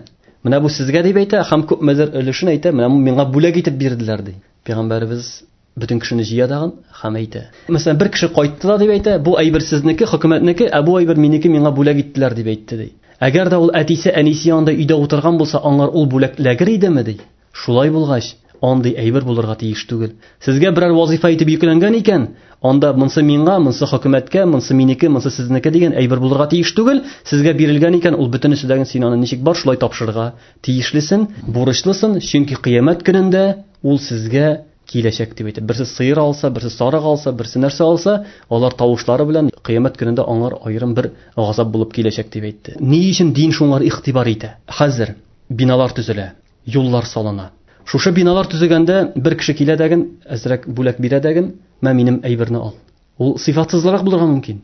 Speaker 1: Менә бу сезгә дип әйтә һәм күпмедер өлешен әйтә, менә миңа бүләк итеп бирделәр ди. Пәйгамбәрбез бөтен кешене җыя дагын һәм әйтә. Мәсәлән, бер кеше кайтты да дип әйтә, бу әйбер сезнеке, хөкүмәтнеке, ә бу әйбер минеке, миңа бүләк иттеләр дип әйтте ди. Әгәр дә ул әтисе, әнисе янында өйдә утырган булса, аңар ул бүләк эләгер идеме ди. Шулай булгач, андый әйбер булырга тиеш түгел. Сезгә берәр вазифа итеп йөкләнгән икән, анда монсы миңа, монсы хөкүмәткә, монсы минеке, монсы сезнеке дигән әйбер булырга тиеш түгел. Сезгә бирелгән икән, ул бөтенесе дә син аны ничек бар шулай тапшырырга тиешлесен, бурычлысын, чөнки кыямәт көнендә ул сезгә киләчәк дип әйтә. Берсе сыер алса, берсе сарык алса, берсе нәрсә алса, алар тавышлары белән кыямәт көнендә аңар аерым бер газап булып киләчәк дип әйтте. Ни өчен дин шуңар игътибар итә? Хәзер биналар төзелә, юллар салына. Шушы биналар төзегәндә бер кеше килә дәген, әзрәк бүләк бирә дәген, мә минем әйберне ал. Ул сыйфатсызлырак булырга мөмкин.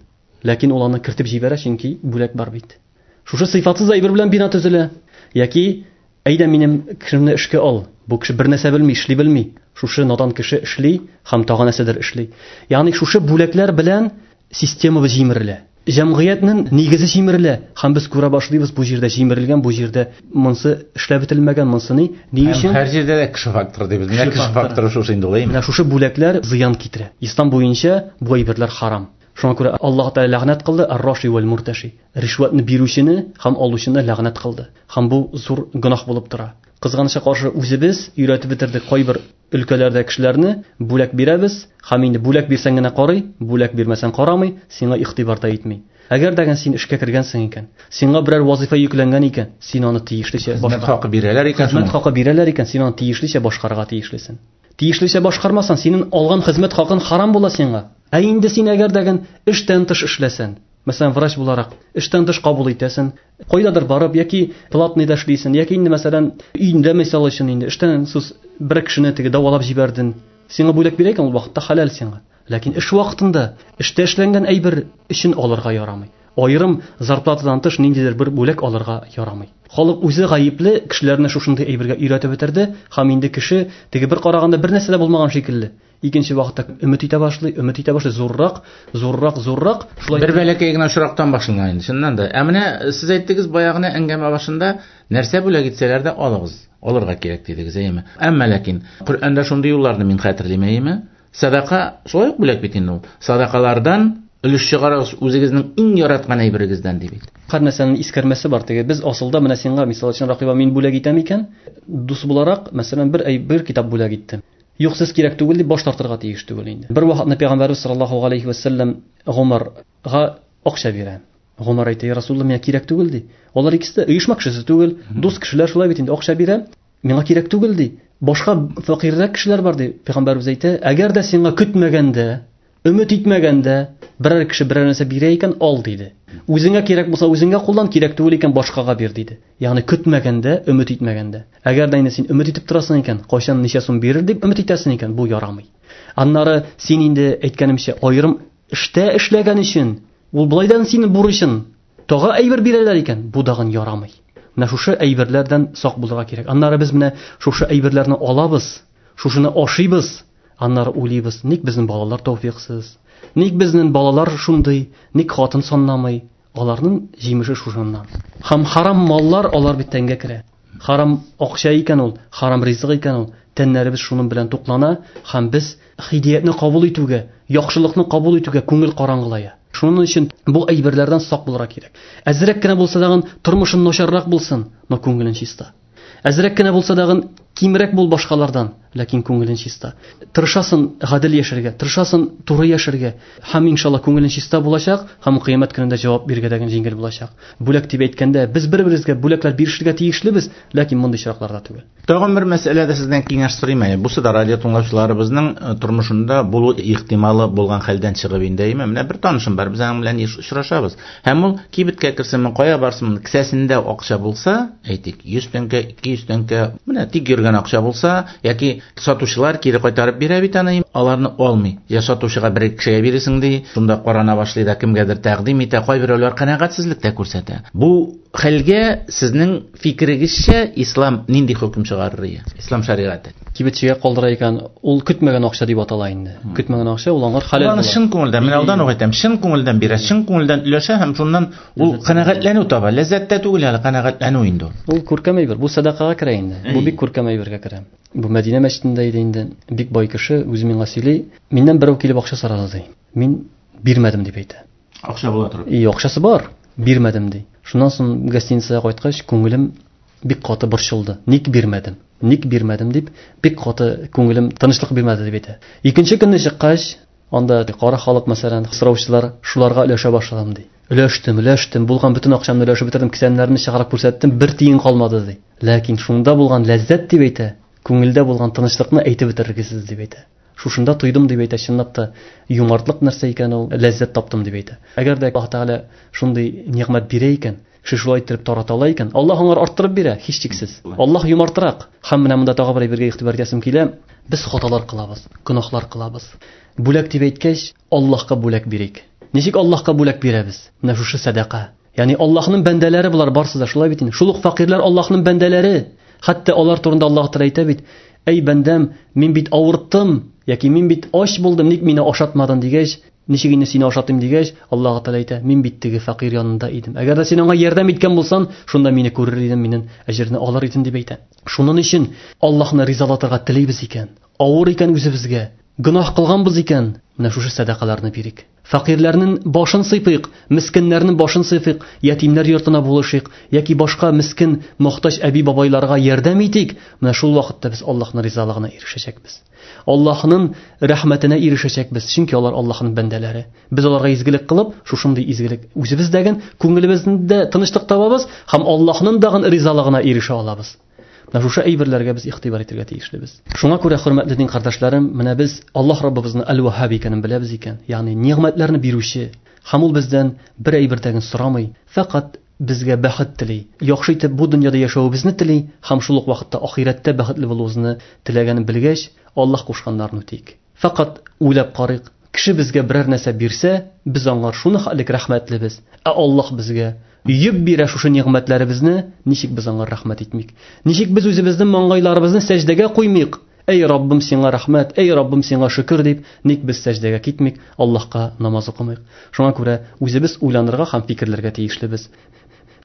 Speaker 1: Ләкин ул аны кертеп җибәрә, чөнки бүләк бар бит. Шушы сыйфатсыз әйбер белән бина төзелә. Яки әйдә минем кешемне эшкә ал. Бу кеше бер нәрсә белми, эшли белми. Шушы надан кеше эшли һәм тагы нәрсәдер эшли. Ягъни шушы бүләкләр белән системабыз җимерелә. Җәмгыятьнең нигезе җимерелә һәм без күрә башлыйбыз, бу җирдә җимерелгән, бу җирдә монсы эшләп бетелмәгән, монсы ни? Ни өчен?
Speaker 2: Һәр җирдә дә кеше факторы дибез. Менә кеше факторы шушы инде ул, әйеме?
Speaker 1: Менә шушы бүләкләр зыян китерә. Ислам буенча бу әйберләр харам. Шуңа күрә Аллаһ Тәгалә ләгънәт кылды ар-раши вәл мурташи. Ришвәтне бирүчене һәм алучыны ләгънәт кылды. Һәм бу зур гөнаһ булып тора. Кызганычка каршы үзебез өйрәтеп бетердек кайбер өлкәләрдә кешеләрне, бүләк бирәбез, һәм инде бүләк бирсәң генә карый, бүләк бирмәсәң карамый, сиңа игътибар да итми. Әгәр дә син эшкә кергәнсең икән, сиңа берәр вазифа йөкләнгән икән, син аны тиешлечә
Speaker 2: хезмәт хакы бирәләр икән,
Speaker 1: хезмәт хакы бирәләр икән, син аны тиешлечә башкарырга тиешлесең. Тиешлечә башкармасаң, синең алган хезмәт хакын харам була сиңа. Ә инде син әгәр дә эштән тыш эшләсәң, мәсәлән, врач буларак эштән тыш кабул итәсең, кайдадыр барып яки платныйда эшлисең, яки инде мәсәлән, өендә мисал өчен инде эштән тыш бер кешене теге дәвалап җибәрдең, сиңа бүләк бирә икән, ул вакытта хәләл сиңа. Ләкин эш вакытында эштә эшләнгән әйбер өчен алырга ярамый. Аерым зарплатадан тыш ниндидер бер бүләк алырга ярамый. Халык үзе гаепле, кешеләрне шушындый әйбергә өйрәтеп бетерде, һәм инде кеше теге бер караганда бер нәрсә дә булмаган шикелле. Икенче вакытта өмет итә башлый, өмет итә башлый, зуррак, зуррак, зуррак.
Speaker 2: Шулай бер бәләкәй генә очрактан башлана инде, чыннан да. Ә менә сез әйттегез баягы әңгәмә башында, нәрсә бүләк итсәләр дә алыгыз, алырга кирәк дидегез, әйеме? Әмма ләкин Коръәндә шундый юлларны мин хәтерлим, әйеме? Садака шулай ук бүләк бит инде ул. Садакалардан өлеш чыгарыгыз үзегезнең иң яраткан әйберегездән ди бит.
Speaker 1: Һәр нәрсәнең искәрмәсе бар теге. Без асылда менә сиңа, мисал өчен, Ракыйба, мин бүләк итәм икән, дус буларак, мәсәлән, бер әйбер, китап бүләк иттем. Юк, сез кирәк түгел дип баш тартырга тиеш түгел инде. Бер вакытны Пәйгамбәрбез саллаллаһу алейхи вәсәлләм Гомарга акча бирә. Гомар әйтә, "Я Расулуллаһ, миңа кирәк түгел" ди. Алар икесе дә оешма кешесе түгел, дус кешеләр шулай бит инде, акча бирә. Миңа кирәк түгел ди. Башка фәкыйрьрәк кешеләр бар ди. Пәйгамбәрбез әйтә, әгәр дә сиңа көтмәгәндә, өмет итмәгәндә берәр кеше берәр нәрсә бирә икән, ал диде. Үзеңә кирәк булса үзеңә куллан, кирәк түгел икән башкага бир диде. Ягъни көтмәгәндә, өмет итмәгәндә. Әгәр дә инде син өмет итеп торасың икән, кайчан ничә сум бирер дип өмет итәсең икән, бу ярамый. Аннары син инде әйткәнемчә, аерым эштә эшләгән өчен, ул былайдан синең бурычын, тагы әйбер бирәләр икән, бу дагын ярамый. Менә шушы әйберләрдән сак булырга кирәк. Аннары без менә шушы әйберләрне алабыз, шушыны ашыйбыз, аннары уйлыйбыз, ник безнең балалар тәүфиксыз, ник безнең балалар шундый, ник хатын санламый. Аларның җимеше шушыннан. Һәм харам маллар алар бит тәнгә керә. Харам акча икән ул, харам ризык икән ул, тәннәребез шуның белән туклана һәм без һидиятне кабул итүгә, яхшылыкны кабул итүгә күңел караңгылая. Шуның өчен бу әйберләрдән сак булырга кирәк. Әзрәк кенә булса дагын тормышың начаррак булсын, но күңелең чиста. Әзрәк кенә булса дагын кимрәк бул башкалардан, ләкин күңелең чиста. Тырышасың гадел яшәргә, тырышасың туры яшәргә, һәм иншалла күңелең чиста булачак, һәм кыямәт көнендә җавап бирергә дә җиңел булачак. Бүләк дип әйткәндә, без бер-беребезгә бүләкләр бирешергә тиешлебез, ләкин мондый очракларда түгел.
Speaker 2: Тагын бер мәсьәләдә сездән киңәш сорыйм әле. Бусы да радио тыңлаучыларыбызның тормышында булу ихтималы булган хәлдән чыгып инде, әйме? Менә бер танышым бар, без аның белән еш очрашабыз. Һәм ул кибеткә керсәме, кая барсын, кесәсендә акча булса, әйтик, 100 тәңкә, 200 тәңкә, менә тик йөргән акча булса, яки сатучылар кире кайтарып бирә бит аны, аларны алмый. Я сатучыга бер кешегә биресең ди, шунда карана башлый да кемгәдер тәкъдим итә, кайберәүләр канәгатьсезлек тә күрсәтә. Бу хәлгә сезнең фикерегезчә ислам нинди хөкем чыгарыр ия? Ислам шәригате.
Speaker 1: Кибетчегә калдыра икән, ул көтмәгән акча дип атала инде. Көтмәгән акча ул аңар хәләл
Speaker 2: була. Чын күңелдән, мин алдан ук әйтәм, чын күңелдән бирә, чын күңелдән өләшә һәм шуннан ул канәгатьләнү таба. Ләззәт тә түгел әле, канәгатьләнү инде ул.
Speaker 1: Ул күркәм әйбер, бу сәдакага керә инде. Бу бик күркәм әйбергә керә. Бу Мәдинә мәчетендә иде инде. Бик бай кеше үзе миңа сөйли, миннән берәү килеп акча сорады ди. Мин бирмәдем дип әйтә.
Speaker 2: Акча була торып.
Speaker 1: И, акчасы бар, бирмәдем ди. Шуннан соң гостиницага кайткач, күңелем бик каты борчылды. Ник бирмәдем? Ник бирмәдем дип, бик каты күңелем тынычлык бирмәде дип әйтә. Икенче көнне чыккач, анда кара халык, мәсәлән, сораучылар, шуларга өләшә башладым ди. Өләштем, өләштем, булган бөтен акчамны өләшеп бетердем, кесәмнәрне чыгарып күрсәттем, бер тиен калмады ди. Ләкин шунда булган ләззәт дип әйтә, күңелдә булган тынычлыкны әйтеп бетерергесез дип әйтә. Шушында тойдым дип әйтә, чынлап та юмартлык нәрсә икән ул, ләззәт таптым дип әйтә. Әгәр дә Аллаһ Тәгалә шундый нигъмәт бирә икән, кеше шулай иттереп тарата ала икән, Аллаһ аңар арттырып бирә, һичшиксез. Аллаһ юмартрак. Һәм менә монда тагы бер әйбергә игътибар итәсем килә. Без хаталар кылабыз, гөнаһлар кылабыз. Бүләк дип әйткәч, Аллаһка бүләк бирик. Ничек Аллаһка бүләк бирәбез? Менә шушы сәдака. Ягъни Аллаһның бәндәләре булар барсы да, шулай бит инде. Шул ук фәкыйрьләр Аллаһның бәндәләре. Хәтта алар турында Аллаһ Тәгалә әйтә бит: "Әй бәндәм, мин бит авырттым, яки мин бит ач булдым, ник мине ашатмадың?" дигәч, ничек инде сине ашатыйм дигәч, Аллаһ Тәгалә әйтә: "Мин бит теге фәкыйрь янында идем. Әгәр дә син аңа ярдәм иткән булсаң, шунда мине күрер идең, минем әҗерне алыр идең" дип әйтә. Шуның өчен Аллаһны ризалатырга телибез икән, авыр икән үзебезгә, гөнаһ кылганбыз икән, менә шушы сәдакаларны бирик. Фәкыйрьләрнең башын сыйпыйк, мескеннәрнең башын сыйпыйк, ятимнәр йортына булышыйк, яки башка мискен, мохтаҗ әби-бабайларга ярдәм итик. Менә шул вакытта без Аллаһның ризалыгына ирешәчәкбез. Аллаһның рәхмәтенә ирешәчәкбез, чөнки алар Аллаһның бәндәләре. Без аларга изгелек кылып, шушындый изгелек үзебездәген, күңелебездә тынычлык табабыз һәм Аллаһның дагын ризалыгына ирешә алабыз. Менә шушы әйберләргә без игътибар итәргә тиешлебез. Шуңа күрә, хөрмәтле дин кардәшләрем, менә без Аллаһ Раббыбызны Әл-Ваһһаб икәнен беләбез икән, ягъни нигъмәтләрне бирүче, һәм ул бездән бер әйбер дә сорамый, фәкать безгә бәхет тели, яхшы итеп бу дөньяда яшәвебезне тели һәм шул ук вакытта ахирәттә бәхетле булуыбызны теләгәнен белгәч, Аллаһ кушканнарны үтик. Фәкать уйлап карыйк, кеше безгә берәр нәрсә бирсә, без аңар шуны хәлек рәхмәтлебез, ә Аллаһ безгә йөп бирә шушы нигъмәтләребезне, ничек без аңар рәхмәт итмик? Ничек без үзебезнең маңгайларыбызны сәҗдәгә куймыйк? Әй Раббым, сиңа рәхмәт, әй Раббым, сиңа шөкер дип, ник без сәҗдәгә китмик, Аллаһка намаз укымыйк? Шуңа күрә үзебез уйланырга һәм фикерләргә тиешлебез.